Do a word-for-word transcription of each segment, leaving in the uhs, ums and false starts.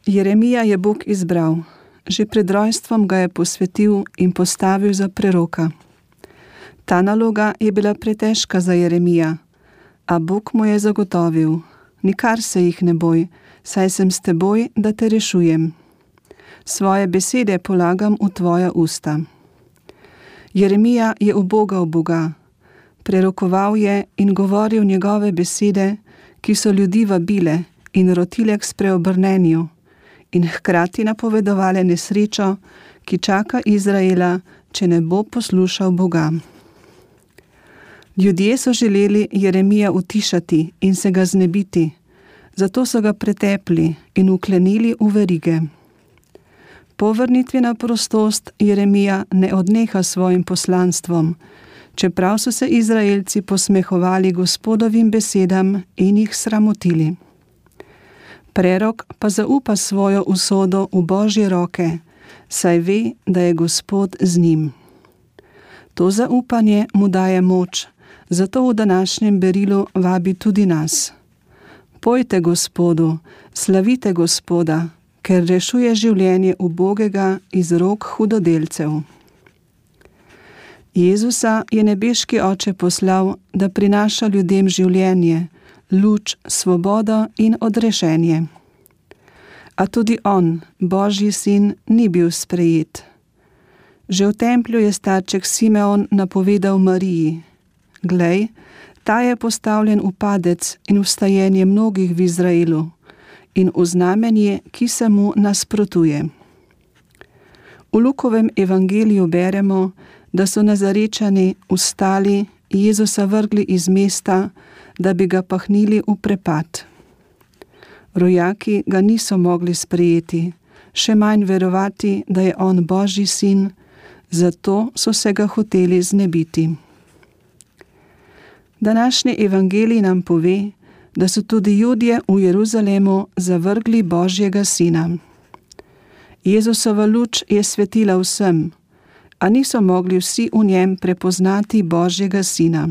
Jeremija je Bog izbral. Že pred rojstvom ga je posvetil in postavil za preroka. Ta naloga je bila pretežka za Jeremija, a Bog mu je zagotovil: nikar se jih ne boj, saj sem s teboj, da te rešujem. Svoje besede polagam v tvoja usta. Jeremija je ubogal Boga, prerokoval je in govoril njegove besede, ki so ljudi vabile in rotile k spreobrnenju in hkrati napovedovale nesrečo, ki čaka Izraela, če ne bo poslušal Boga. Ljudje so želeli Jeremija utišati in se ga znebiti, zato so ga pretepli in vklenili v verige. Po vrnitvi na prostost Jeremija ne odneha svojim poslanstvom, čeprav so se Izraelci posmehovali Gospodovim besedam in jih sramotili. Prerok pa zaupa svojo usodo v Božje roke, saj ve, da je Gospod z njim. To zaupanje mu daje moč, zato v današnjem berilu vabi tudi nas. Pojte Gospodu, slavite Gospoda, ker rešuje življenje ubogega iz rok hudodelcev. Jezusa je nebeški Oče poslal, da prinaša ljudem življenje, luč, svobodo in odrešenje. A tudi on, Božji sin, ni bil sprejet. Že v templju je starček Simeon napovedal Mariji: glej, ta je postavljen v padec in vstajenje mnogih v Izraelu in v znamenje, ki se mu nasprotuje. V Lukovem evangeliju beremo, da so Nazarečani vstali, Jezusa vrgli iz mesta, da bi ga pahnili v prepad. Rojaki ga niso mogli sprejeti, še manj verovati, da je on Božji sin, zato so se ga hoteli znebiti. Današnji evangelij nam pove, da so tudi Judje v Jeruzalemu zavrgli Božjega sina. Jezusova luč je svetila vsem, a niso mogli vsi v njem prepoznati Božjega sina.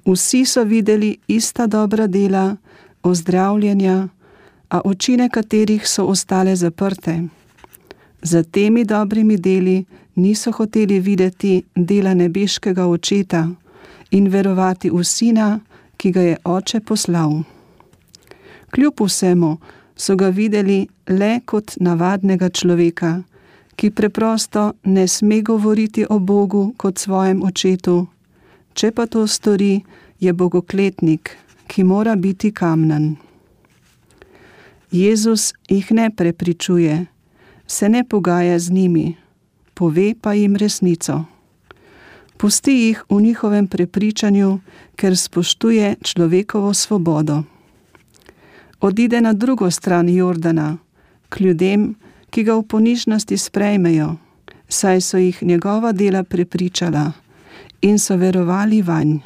Vsi so videli ista dobra dela, ozdravljenja, a oči nekaterih so ostale zaprte. Za temi dobrimi deli niso hoteli videti dela nebeškega Očeta in verovati v Sina, ki ga je Oče poslal. Kljub vsemu so ga videli le kot navadnega človeka, ki preprosto ne sme govoriti o Bogu kot svojem očetu, če pa to stori, je bogokletnik, ki mora biti kamnan. Jezus jih ne prepričuje, se ne pogaja z njimi, pove pa jim resnico. Pusti jih v njihovem prepričanju, ker spoštuje človekovo svobodo. Odide na drugo stran Jordana, k ljudem, ki ga v ponižnosti sprejmejo, saj so jih njegova dela prepričala in so verovali vanj.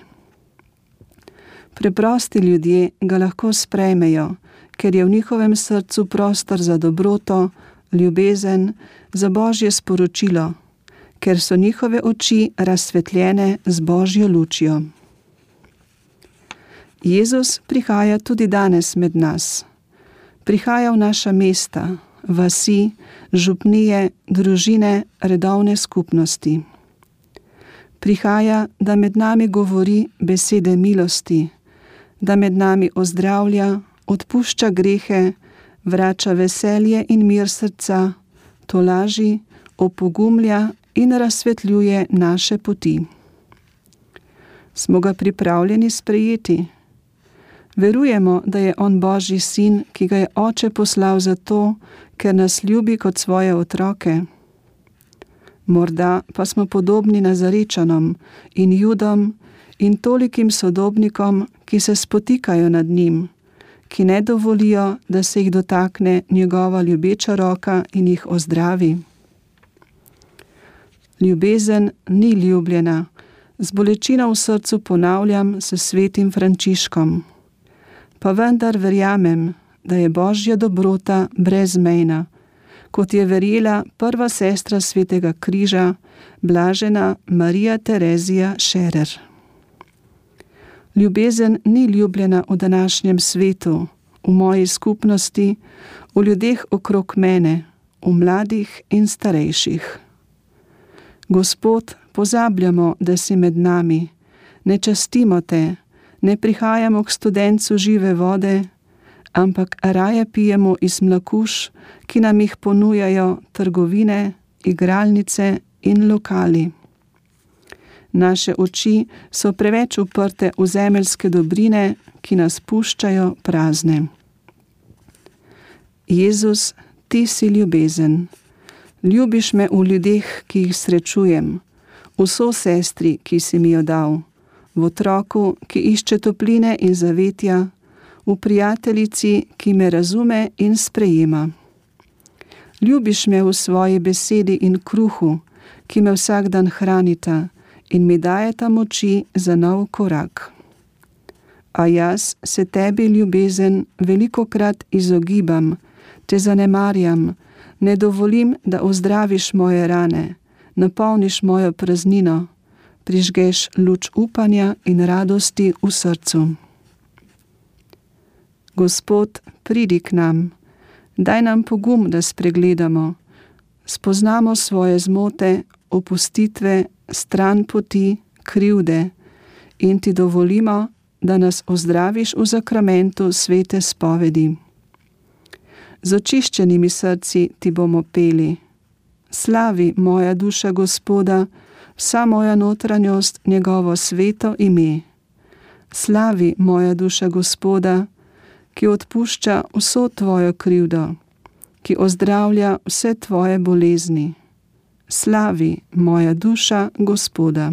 Preprosti ljudje ga lahko sprejmejo, ker je v njihovem srcu prostor za dobroto, ljubezen, za Božje sporočilo, ker so njihove oči razsvetljene z Božjo lučjo. Jezus prihaja tudi danes med nas. Prihaja v naša mesta, vasi, župnije, družine, redovne skupnosti. Prihaja, da med nami govori besede milosti, da med nami ozdravlja, odpušča grehe, vrača veselje in mir srca, tolaži, opogumlja in razsvetljuje naše poti. Smo ga pripravljeni sprejeti? Verujemo, da je on Božji sin, ki ga je Oče poslal zato, ker nas ljubi kot svoje otroke. Morda pa smo podobni Nazarečanom in Judom in tolikim sodobnikom, ki se spotikajo nad njim, ki ne dovolijo, da se jih dotakne njegova ljubeča roka in jih ozdravi. Ljubezen ni ljubljena, z bolečino v srcu ponavljam s svetim Frančiškom. Pa vendar verjamem, da je Božja dobrota brezmejna, kot je verjela prva sestra svetega križa, blažena Marija Terezija Scherer. Ljubezen ni ljubljena v današnjem svetu, v moji skupnosti, v ljudeh okrog mene, v mladih in starejših. Gospod, pozabljamo, da si med nami, ne častimo te, ne prihajamo k studencu žive vode, ampak raje pijemo iz mlakuš, ki nam jih ponujajo trgovine, igralnice in lokali. Naše oči so preveč uprte v zemeljske dobrine, ki nas puščajo prazne. Jezus, ti si ljubezen. Ljubiš me v ljudeh, ki jih srečujem, v sosestri, ki si mi jo dal, v otroku, ki išče topline in zavetja, v prijateljici, ki me razume in sprejema. Ljubiš me v svoji besedi in kruhu, ki me vsak dan hranita in mi dajeta moči za nov korak. A jaz se tebi, ljubezen, velikokrat izogibam, te zanemarjam, ne dovolim, da ozdraviš moje rane, napolniš mojo praznino, prižgeš luč upanja in radosti v srcu. Gospod, pridi k nam, daj nam pogum, da spregledamo, spoznamo svoje zmote, opustitve, stran poti, krivde in ti dovolimo, da nas ozdraviš v zakramentu svete spovedi. Z očiščenimi srci ti bomo peli. Slavi moja duša Gospoda, vsa moja notranjost njegovo sveto ime. Slavi moja duša Gospoda, ki odpušča vso tvojo krivdo, ki ozdravlja vse tvoje bolezni. Slavi moja duša Gospoda.